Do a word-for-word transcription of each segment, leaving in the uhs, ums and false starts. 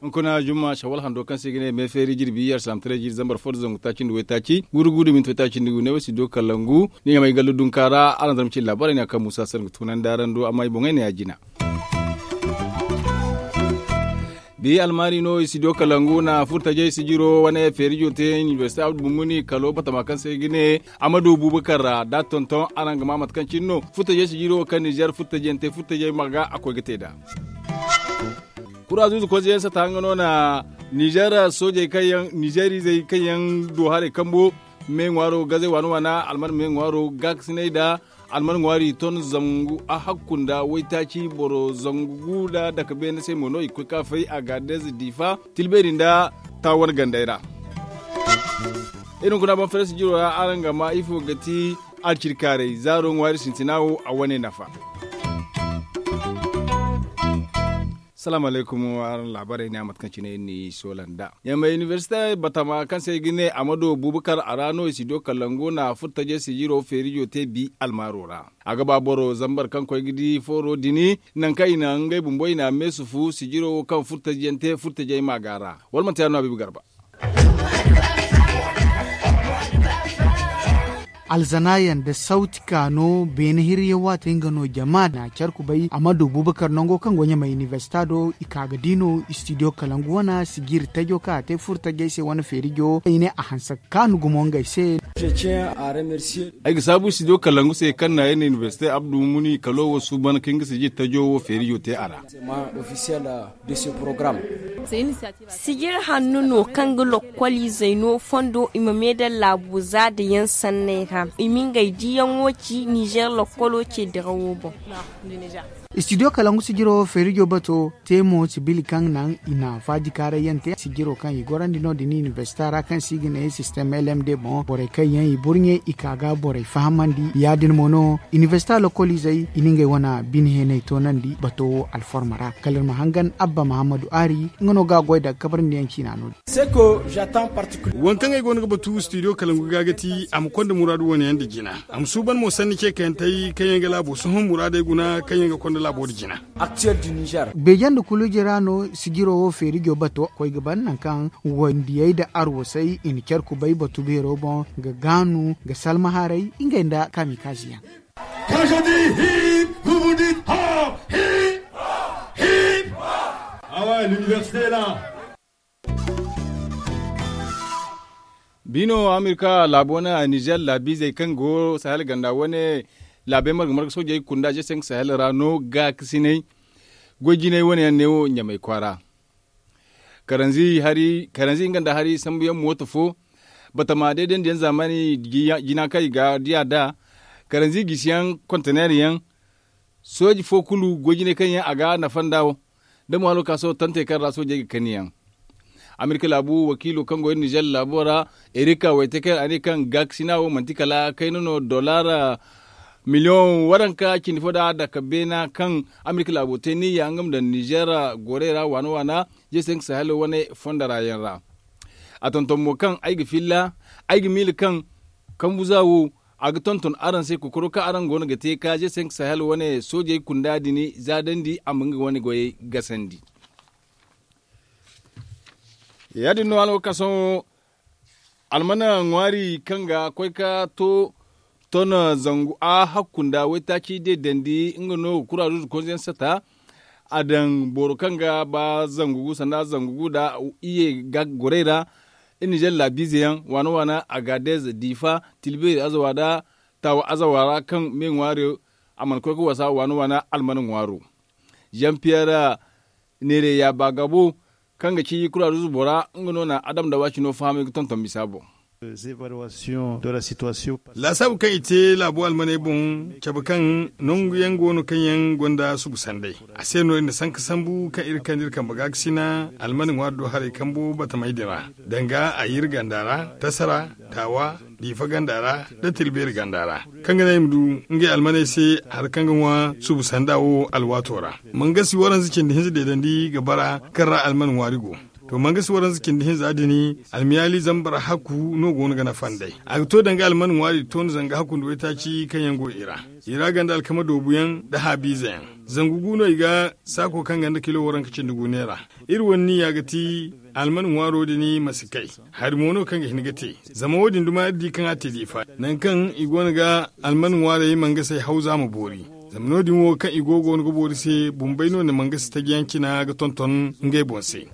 Hunkuna jumma shawal hando kaŋ se i ga ne me feeri jirbi yar salam tare jiri zambar fo da zangu taaci nda waytaaci guuru guuru minti waytaaci nda gu ne wo si do kalangu ni ɲamay gallu dunka ra araŋ zarma ci laabaarey ne a kaŋ muusa sar ga tunandi araŋ do amma i boŋey ne ya jina. Bi almaari no i si do kalangu na furtajey sijiro wane feerijo te inibersite abdu bumuni kalo batama kaŋ se i ga ne amadu bubakar ra da tonton araŋ ga ma mate kaŋ cine no furtajey sijiro kaŋ nizer furtajey ma ga a koy ga te nd'a. Kura zuuzu koy ze yaŋ sata nga no na nizer soojey kaŋ yaŋ nizer izey kaŋ yaŋ do haray kambo me ŋwaaro gazey waana waana alman me ŋwaaro gaakasinay nda alman ŋwaari ton zangu a hakku nda waytaaci boro zangu gu nda dake beene se mo no i ga koy ka fay a ga deeze diifa tilbeeri nda taawan gandey ra. Iri hunkuna banfaraysi jiro ra araŋ ga ma ifo ga ti alcirkaaray zaaro ŋwaari sintina wo a wane nafa. Salaamu alaykum araŋ laabaarey ne a mate kaŋ cine iri n'i soola nd'a ɲamay inibersite batama kaŋ se i ga ne amadu bubakar a ra no i si do kalangu na furtajey sijiro feerijo te bi almaaro ra. A ga ba boro zambar kaŋ koy ga di fooro dini nangu kaŋ i na ngey bumbo i na meesufu sijiro wo kaŋ furtajey yaŋ te furtajey ma ga a ra wala manti ya- din no a biibi garba. Alzana yaŋ nda sawti ka no beene hirriyaŋ waate nga no jama na care kubay a ma du bubakar nango kaŋ go ɲamay inibersita do i ka ga di no istidiyo kalangu wane sijiri tajo kaŋ a te furo tajey se wane feerijo i ne a hanse ga kaanu gumo ngey se. Ay ga saabu istidiyo kalangu se kaŋ na ay na inibersite abdu muni kalo wo suuban kaŋ ga sijiri tajo wo feerijo te a ra. Sijir hanno no kaŋ ga lokkol izey no fondo i ma me daŋ laabo za da yaŋ sanney ra i ma ngey diyaŋo ci nizer lokkolo ce dirawo boŋ. Istidiyo kalangu sijiro feerijo bato te mo sibili kaŋ naŋ i na faajikaaray yaŋ te sijiro kaŋ i gorandi no- din inibersita ra kaŋ se i ga ne sistem lmd boŋ borey kaŋ yaŋ i burɲe i ka ga borey fahamandi ya- din mo no inibersita lokkol izey i na ngey wane bine heenay toonandi bato wo alforma ra kala iri ma hangan abba mahammadu aari nga no ga a goy daga kabarandiyaŋ ciina no- din. Waŋ kaŋ ay go no ga batu studio kalangu ga ga ti a ma konda muraadu wane yaŋ nda jina a ma suuban mo sanni ce kayantey kaŋ yaŋ ga laabo sohõ muraadey guna kaŋ yaŋ ga konda laabo nda jina. Beeje nda kuluji ra no sijiro wo feerijo bato koy ga ban nangu kaŋ wandiyey nda arwasey i na care kubay batu beero boŋ ga gaanu ga salma haray ngey nda kaamikaazi yaŋ. Kaŋ se ti hip hubu din ho hip hip. Awa l'université la. Bino amerika laabo wane a nizer laabiizey kaŋ go sahel ganda wane laabey marga marga soojey kunda je senk sahel ra no gaakasinay goy jinay wane yaŋ ne wo ɲamay kwaara. Karanzi hari karanzi nga nda hari sambuyaŋ mooto fo batama deedandiyaŋ zaamani jina kaŋ i ga diya da karanzi gisiyaŋ konteneer yaŋ sooji fo kulu goy jinay kaŋ yaŋ a ga nafa nda wo da mo halo ka sohõ tantey kaŋ ra soojey ga kani yaŋ. Amerika laabu wakiilo kaŋ go iri nizer laabo ra erika waytekey a ne kaŋ gaakasina wo manti kala kayna no dollar miliyoŋ waranka cindi fo nda dake beena kaŋ amerika laabo te niyya nga ma daŋ nizer gorey ra waana waana je se nga sahel wane fonda ra yaŋ ra. A tonton mo kaŋ ay ga filla ay ga miila kaŋ kambu za wo a ga tonton araŋ se kokoro kaŋ araŋ go no ga te ka je se nga sahel wane soojey kunda din za dandi a ma nga wane goyey gasandi. Ya- din no alwakaso almana ŋwaari kaŋ ga koy ka to ton zangu a hakku nda waytaaci de dandi nga no ga kura zuzu konze yaŋ sata. A daŋ boro kaŋ ga ba zangu gu sanda zangu gu nda iye ga gorey ra iri nizer laabiize yaŋ waana waana agadez diifa tilbeeri azawa nda taawa azawa ra kaŋ me ŋwaari a mana koy ga wasa waana waana almana ŋwaaro. Jean pierre neere ya ba gabo kaŋ ga ci kura zuzu bora nga no na adam nda waacino fahamay ga tonton bisa boŋ. Laasaabu kaŋ i te laabo almaney boŋ cabe kaŋ nangu yaŋ go no kaŋ yaŋ gonda subu sanday. A se no iri na sanka sambu kaŋ iri kande iri kambe gaakasina almane ŋwaari do haray kambo batamey din ra danga a yir ganda ra, tasara, taawa, diifa ganda ra, nda tilbeeri ganda ra, kaŋ ga naŋ i ma du ngey almaney se hari kaŋ ga ŋwa subu sanda wo alwaato ra. Mangasi waranza cindi hinza deedandi ga bara kaŋ ra almane ŋwaari go. To mangasi waranza cindi hinza din, almiyaali zambar hakku no go no ga nafa nd'ey. A ga to danga alman ŋwaari toona zanga hakku nda waytaaci kaŋ yaŋ go i ra. I ra ganda alkama doobuyaŋ nda haabiizeyaŋ. Zangu gu no i ga saako kaŋ ganda kilo waranka cindi gu neera. Iri wane niya ga ti alman ŋwaaro din ma si kay. Hari mo no kaŋ ga hin ga te. Zama wo- din duma iri di kaŋ a te diifa nangu kaŋ i go no ga alman ŋwaarey mangasey hawza ma boori. Zama no- din wo kaŋ i go go no ga boori se bumbey no na mangasi taji yaŋ cina ga tonton ngey boŋ se.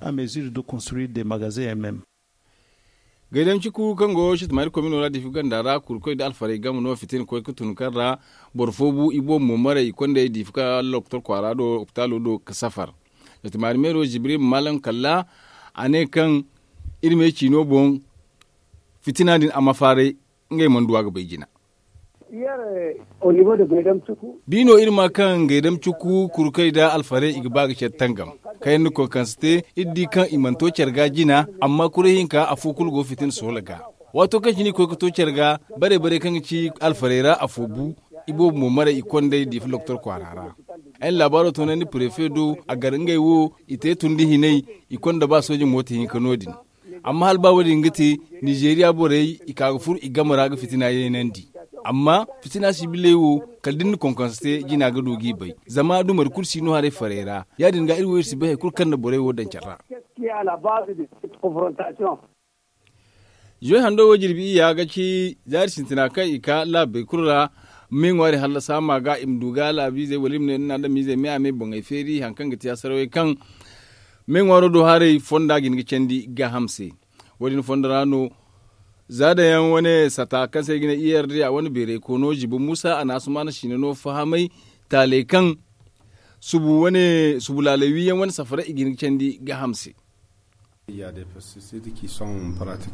Gaydam ciku kaŋ go sitamaari komino ra diifi ganda ra kurkoy nda alfarey game no fitina koy ga tun kaŋ ra boro fo bu i boobo mo maray i kondey diifi ka loktor kwaara do opitaalo do ga safar. Sitamaari meero jibril malam kalla a ne kaŋ iri me ciino boŋ fitina din a ma faaray ngey mana du a ga bay jina. Bi no iri ma kaŋ gaydam cuku kurkey nda alfarey i ga ba ga care tangam kaŋ yaŋ ni konkanse te. Iri di kaŋ i mana to care ga jina amma kuray hinka afo kulu go fitina soola ga. Waato kaŋ cine i koy ga to care ga bare bare kaŋ ga ci alfarey ra afo bu i boobo mo maray i kondey diifa loktor kwaara ra. Ay na laabaaro toonandi prefe do a gar ngey wo i te tundi hinay i konda ba sooje mooto hinka no- din. Amma hala ba wo- din ga te nizeeriya borey i ka ga furo i game ra ga fitina yaynandi. Amma fitina sibiley wo kala da ni na konkonse te jina ga du g'i bay zama dumari kulu si no haray farey ra. Ya- din ga iri wo iri si bay hari kulu kaŋ na borey wo daŋ care ra. Zoy hando wo jirbi iyya ga ci zaari sintina kaŋ i ka laabey kulu ra. Me ŋwaari hallasa ma ga i ma du ga laabiizey wala i ma ne ni na adamizey me a me boŋey feeri hari kaŋ ga ti asarawey kaŋ me ŋwaaro do haray fonda ga hin ga candi gaaham se. Wo- din fondo ra no za daŋ yaŋ wane sata kaŋ se i ga ne i yarda a wane beeray koono ziba muusa a na asumaana siina no fahamay taaley kaŋ subu wane subu laaley wi yaŋ wane safaray i ga hin ga candi gaaham se.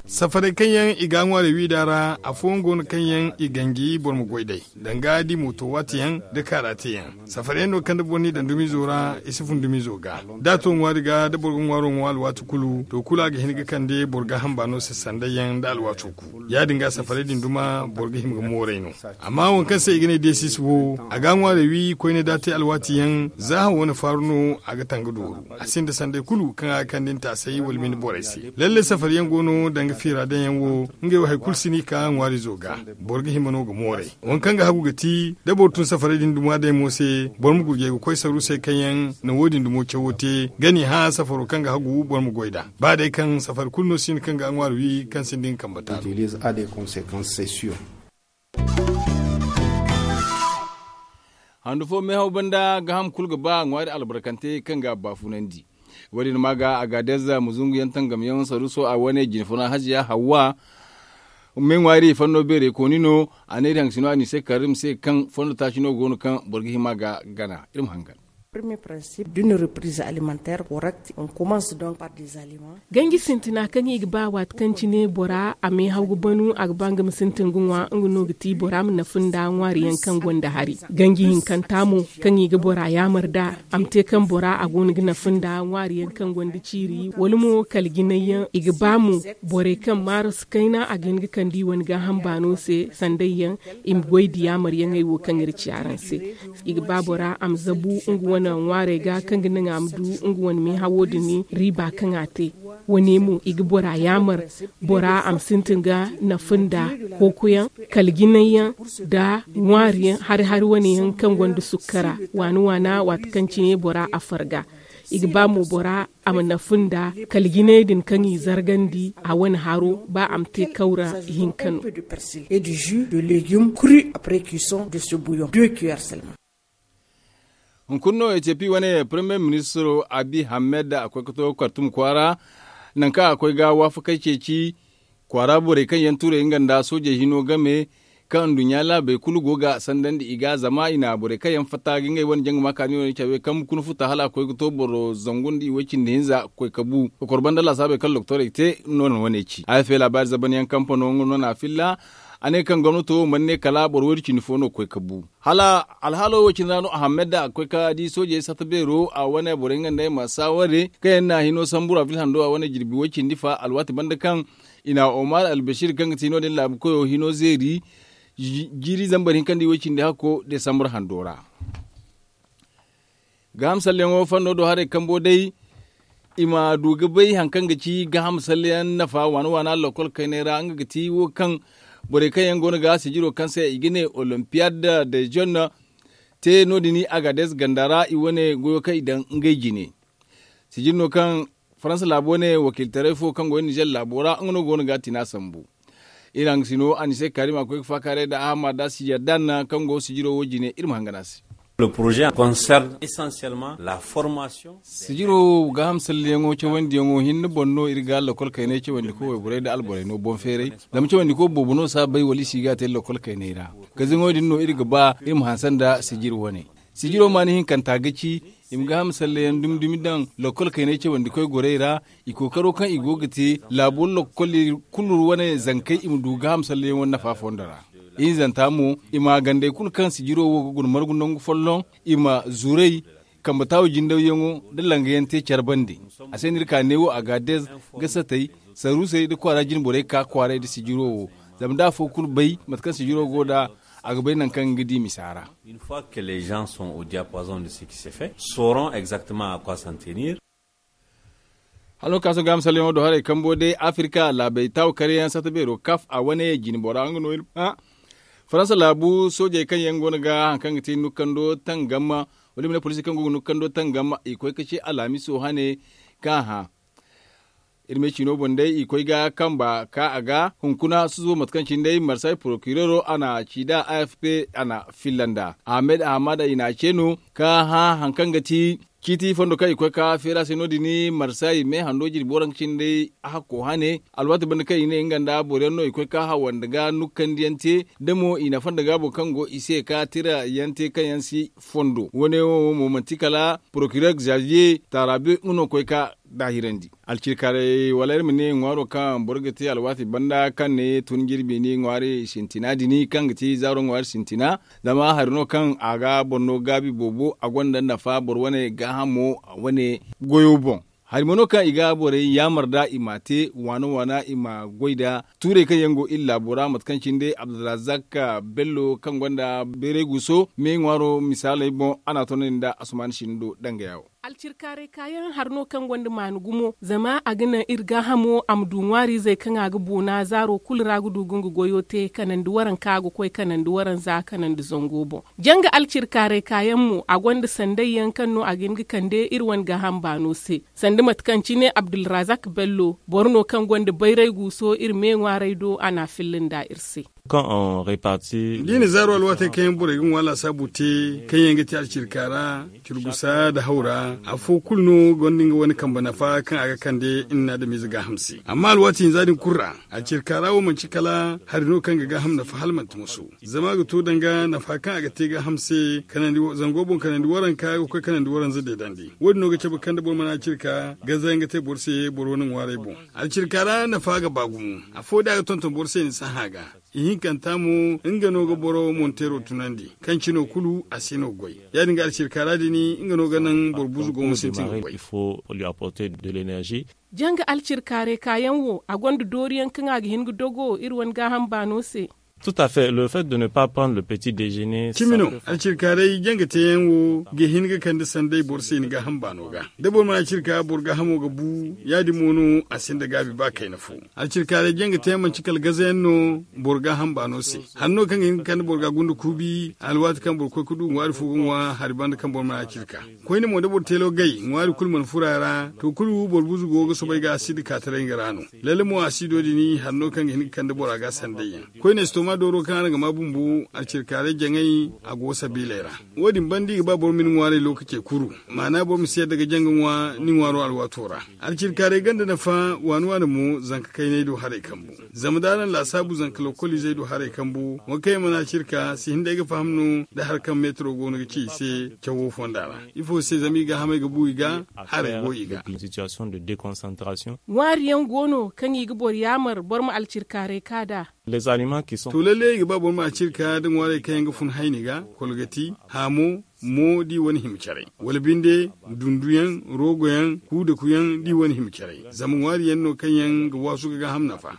Safaray kaŋ yaŋ i ga a ŋwaarey wi nd'a ra afooyaŋ go no kaŋ yaŋ i ganji boro ma goy d'ey danga da i mooto waati yaŋ da kaara te yaŋ. Safaryaŋ no kaŋ da boro n'i daŋ dumiizo ra i si fun dumiizo ga da a to ŋwaari ga da boro ga ŋwaaro ŋwa alwaati kulu to kulu a ga hin ga kande boro gaaham baano se sanday yaŋ nda alwaato kulu. Ya- din ga safarey din duma boro ga hima ga mooray no. Amma waŋ kaŋ se i ga ne deesis wo a ga a ŋwaarey wi koyne da a te alwaati yaŋ za haŋ wane faaru no a ga tanga dooru. A sinda sanday kulu kaŋ a ga kande ni taasay wala bine borey se. Lalle safari yaŋ go no danga fiira daŋ yaŋ wo ngey wo hari kulu si no i ka ŋwaarizo ga. Boro ga hima no ga mooray. Waŋ kaŋ ga hagu ga ti da boro tun safaray din duma day mo se boro ma gurjay ga koy saru se kaŋ yaŋ na wo- din dumo cawo te ga n'i hã safaro kaŋ ga hagu boro ma goy nd'a. Ba day kaŋ safari kulu no si no kaŋ ga a ŋwaari wi kaŋ sinda nga kamba taalo. Handu fo meehaw banda gaaham kulu ga ba ŋwaari albarkante kaŋ ga a baafunandi. Wo- din ma ga a ga deza ma zungu yaŋ tangam yaŋ saruso a wane jinfuna haziya hawwa. Me ŋwaari fanno beeray kooni no a ne iri haŋ sino a ni se karim se kaŋ fondo taaci no go no kaŋ boro ga hima ga gana iri ma hangan. Premier principe d'une reprise alimentaire correcte, on commence donc par des aliments. Ganji sintina kaŋ i ga ba waati kaŋ cine bora a meehaw ga banu a ga ba nga ma sintin ga ŋwa nga no ga ti bora ma nafa nda ŋwaari yaŋ kaŋ gonda hari. Ganji hinkanta mo kaŋ i ga bora yaamar da a ma te kaŋ bora a go no ga nafa nda ŋwaari yaŋ kaŋ gonda ciiri wala mo kala jinay yaŋ i ga ba mo borey kaŋ maarasu kayna a ga hin ga kande i wane gaaham baano se sanday yaŋ. I ma goy da yaamar yaŋey wo kaŋ iri ci araŋ se. I ga ba bora a ma zabu nga wane ŋwaarey ga kaŋ ga naŋ a ma du nga wane meehawo din riiba kaŋ a te. Wane mo i ga bora yaamar bora a ma sintin ga nafa nda kookoyaŋ kala jinay yaŋ nda ŋwaari yaŋ hari hari wane yaŋ kaŋ gonda sukkara waana waana waati kaŋ cine bora a farga. I ga ba mo bora a ma nafa nda kala jinay din kaŋ i zargandi a wane haro ba a ma te kawra hinka no. Et du jus de légumes crus après cuisson de ce bouillon deux cuillères seulement. Hunkuna no ethiopie wane premier ministro abiy ahmed a koy ga to kartum kwaara nangu kaŋ a koy ga waafakey ceeci kwaara borey kaŋ yaŋ turay nga nda soojey hino game kaŋ nduɲɲa laabey kulu go ga sandandi i ga zama i na borey kaŋ yaŋ fatta ga ngey wane jangama kaani no ne cawey kaŋ hunkuna futa hala a koy ga to boro zangu nda i way cindi hinza koy ka bu kokor banda laasaabey kaŋ doktorey te no na wane ci a ya fe laabaari zaban yaŋ kampano nga no na a filla. A ne kaŋ gomnato mana ne kala boro waydu cindi fo no ga koy ka bu hala alhaalo wo cine ra no ahammed da a ga koy ka di soojey sata beero a wane borey nga nda ay ma saaware kaŋ yaŋ na hino sambu ra vilhando a wane jirbi way cindi fa alwaati banda kaŋ i na omar albashir kaŋ ga ti no- din laabu koyo hino zeeri jiiri zambar hinka nda i way cindi hakko desambar hando ra. Gaaham salleŋo fanno do haray kambo day I ma du ga bay hari kaŋ ga ci gaaham salleyaŋ nafa waana waana lokkol kaynay ra nga ga ti wo kaŋ borey kaŋ yaŋ go no ga sijiro kaŋ se i ga ne olimpiyad de jone te no- din agades ganda ra i wane goyo kaŋ i daŋ ngey jine. Sijiri no kaŋ faransa laabo ne wakiiltaray fo kaŋ go nizer laabo ra nga no go no ga tina sambu. Iri haŋ ga sino anise karim a koy ga faakaaray nda ahama da siyardan kaŋ go sijiro wo jine iri ma hangan a se. Le projet concerne essentiellement la formation. Sijiro gaaham salliyaŋo cawandiyaŋo hinne boŋ no iri ga lokol kaynay cawandiko wayborey nda alborey no boŋ feeray. Zama cawandiko boobo no si a bay wala i si ga a te lokol kaynay ra. Gaziŋo din no iri ga ba iri ma hanse nda sijiri wane. Sijiro maani hinkanta ga ci i ma gaaham salleyaŋ dumi dumi daŋ lokol kaynay cawandikoy gorey ra. I kookaro kaŋ i go ga te laabo lokol kulu wane zankey i ma du gaaham salleyaŋo nafa fondo ra. Ihinzanta mo i ma gandey kulu kaŋ sijiro wo ga guna margu nangu folloŋ i ma zuray kambe taawo jindawyaŋo nda langayaŋ te care bande. A se no iri ka neewo a ga dez ga satay saruusey nda kwaara jine borey ka kwaaray nda sijiro wo. Zama da afo kulu bay mate kaŋ sijiro go nd'a a ga bay nangu kaŋ nga di misa ra. Une fois que les gens sont au diapason de ce qui se fait, sauront exactement à quoi s'en tenir. Halo ka sohõ ga misalyaŋo do haray kambo day afirka laabey taawo karyaŋ sata beero kaf a wane jine bora nga no iri ma faransa laabu soojey kaŋ yaŋ go no ga hari kaŋ ga te nukkando tangam wala i ma ne poliisi kaŋ go ga nukkando tangam i koy ka ce alhamiso hane kaŋ a hã. Iri me ciino boŋ day i koy ga kamba ka a ga hunkuna susubo mate kaŋ cine day marsay porokirero a na ci nd'a a f p a na filla nd'a ahmed ahamada i na a ce no ka hã hari kaŋ ga ti ciiti fondo kaŋ i koy ka feeri a se no- din marsay me hando jirbi waranka cine day hakko hane alwaati banda kaŋ i ne nga nda boro yaŋ no i koy ka hawandi ga nukkandi yaŋ te da mo i na fonda gaabo kaŋ go i se ka tira yaŋ te kaŋ yaŋ si fondo wane wo mo manti kala porokirero xavier tarabe nga no koy ka daahirandi. Alcirkaarey wala iri ma ne ŋwaaro kaŋ boro ga te alwaati banda kaŋ ne tun jirbi ni ŋwaari sintina din kaŋ ga ti zaaro ŋwaari sintina. Zama hari no kaŋ a ga boro no gaabi boobo a gonda nafa boro wane gaahamo wane goyo boŋ. Hari mo no kaŋ i ga borey yaamar nd'a i m'a te waana waana i ma goy nd'a tuurey kaŋ yaŋ go iri laabo ra mate kaŋ cine day abdulrazak bello kaŋ gonda bayray guuso me ŋwaaro misaaley boŋ a n'a toonandi nda asumaani sinindo dangaya wo. Alcirkaaray kaayaŋ hari no kaŋ gonda maani gumo zama a ga naŋ iri gaahamo a ma du ŋwaariizey kaŋ a ga boona zaaro kulu ra ga du ga nga goyo te kanandi waranka ga koy kanandi waranza kanandi zango boŋ. Janga alcirkaaray kaayaŋ mo a gonda sanday yaŋ kaŋ no a ga hin ga kande iri wane gaaham baano se sanda mate kaŋ cine abdulrazak bello boro no kaŋ gonda bayray guuso iri me ŋwaarey do a n'a filla nda iri se. Kaŋ on reparti da i na zaaro alwaatey kaŋ yaŋ borey ga ŋwa laasaabu te kaŋ yaŋ ga te alcirka ra, curgusa nda hawra afo kulu no gonda nga wane kambe nafa kaŋ a ga kande iri na adamize gaaham se amma alwaati hinza din kulu ra, alcirka ra wo manti kala hari no kaŋ ga gaaham nafa hala manti moso. Zama a ga to danga nafa kaŋ a ga te gaaham se kanandi zango boŋ kanandi waranka ga koy kanandi waranza deedandi wo- din no ga cabe kaŋ da boro mana alcirka ganza yaŋ ga te boro se boro wane ŋwaaray boŋ. Alcirka ra nafa ga ba gumo. Afo da a ga tonton boro se ni si a hã ga. Ihinkanta mo nga no ga boro monteero tunandi kaŋ cino kulu a si no ga goy. Ya- din ga alcirka ra din nga no ga naŋ boro buzu go ma sintin ga goy. Janga alcirkaaray kaayaŋ wo a gonda dooriyaŋ kaŋ a ga hin ga dogo iri wane gaaham baano se. Tout à fait le fait de ne pas prendre le petit déjeuner cimi no. Alcirkaaray janga teeyaŋ wo ga hin ga kande sanday boro se ni gaaham baano ga da boro mana alcirka boro gaahamo ga bu ya- din mo no a sinda gaabi ba kayna fo. Alcirkaaray janga teeyaŋ manti kala gazayaŋ no boro gaaham baano se. Hari no kaŋ ga hin ga kande boro ga gunda kuubi alwaati kaŋ boro koy ga du ŋwaari fo ga ŋwa hari banda kaŋ boro mana alcirka. Koyne mo da boro teelo gay ŋwaari kulu mana furo a ra to kulu boro buzu go ga soobay ga asiidi ka taray nga ra no. Lalle mo asiido din hari no kaŋ ga hin ga kande bora ga sanday yaŋ. Koyne estooma dooro kaŋ araŋ ga ma bumbo alcirkaaray jaŋay a go sabiiley ra. Wo- din banda i ga ba boro ma ni ŋwaaray lookacey kuru. Maana boro ma si yadda ga janga ŋwa ni ŋwaaro alwaato ra. Alcirkaaray ganda nafa waani waani mo zanka kaynay do haray kambu. Zama da araŋ laasaabu zanka lokoliizey do haray kambu, waŋ kaŋ yaŋ mana alcirka si hin day ga faham no da hari kaŋ meetaro go no ga ci i se cawo fonda ra. Ifo se zama i gaahamey ga bu i ga, haray go i ga. Ŋwaari yaŋ go no kaŋ i ga boro yaamar boro ma alcirkaaray ka nd'a. To lalle i ga ba boro ma alcirka da ŋwaarey kaŋ yaŋ ga fun hayni ga, kolgati, haamo, mo da i wane hima caray, wala binde, dunduyaŋ, roogoyaŋ, kuudakuyaŋ da i wane hima caray. Zama ŋwaari yaŋ no kaŋ yaŋ ga waasu ga gaaham nafa.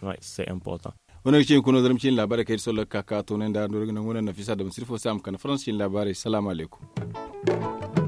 Wane ga cine kuna zarma cine laabaarey kaŋ iri sollo ga ka ka toonay nda doori ga nangu no nafisa da masiri fo se a ma kande faransa cine laabaarey salaamu alaykum.